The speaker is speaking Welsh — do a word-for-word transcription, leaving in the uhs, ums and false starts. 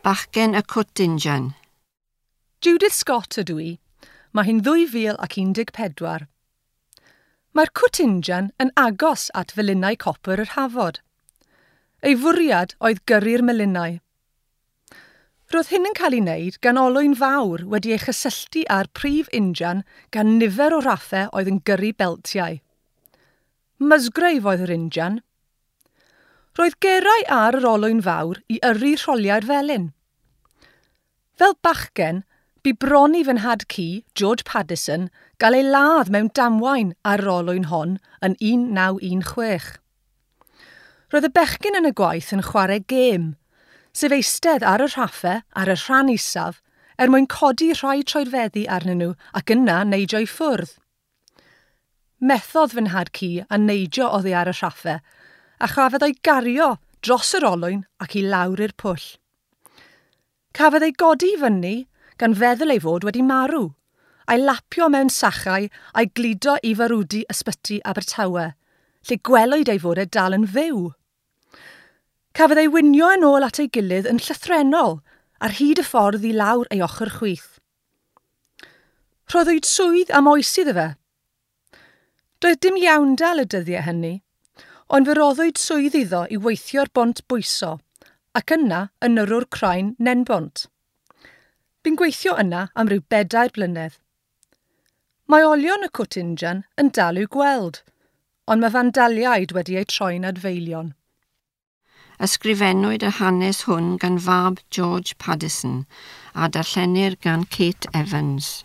Bachgen y Cwt Injan. Judith Scott ydw i. Mae hi'n ddwy fil ac un deg pedwar. Mae'r Cwt Injan yn agos at felinau copr yr Hafod. Ei fwriad oedd gyrru'r melinau. Roedd hyn yn cael ei wneud gan olwyn fawr wedi ei chysylltu â'r prif injan gan nifer o raffau oedd yn gyrru beltiau. Musgrave oedd yr injan. Roedd gerau ar yr olwyn fawr i yrru rholiau'r felin. Fel bachgen, bu bron i fy nhad cu, George Paddison, gael ei ladd mewn damwain ar yr olwyn hon yn un naw un chwech. Roedd y bechgyn yn y gwaith yn chwarae gêm, sef eistedd ar y rhaffau ar y rhan isaf er mwyn codi rhai troedfeddi arnyn nhw ac yna neidio i ffwrdd. Methodd fy nhad cu a neidio oddi ar y rhaffau a chafodd ei gario dros yr olwyn ac i lawr i'r pwll. Cafodd ei godi i fyny gan feddwl ei fod wedi marw, a'i lapio mewn sachau a'i gludo i farwdi ysbyty Abertawe, lle gwelwyd ei fod e dal yn fyw. Cafodd ei winio yn ôl at ei gilydd yn llythrennol ar hyd y ffordd i lawr ei ochr chwith. Rhoddwyd swydd am oes iddo fe. Doedd dim iawndal y dyddiau hynny, ond fe roddwyd swydd iddo i weithio'r bont bwyso, ac yna yn yrrwr craen Nenbont. Bu'n gweithio yna am ryw bedair blynedd. Mae olion y Cwt Injan yn dal i'w gweld, ond mae fandaliaid wedi eu troi'n adfeilion. Ysgrifennwyd y hanes hwn gan fab George Paddison a darllenir gan Kate Evans.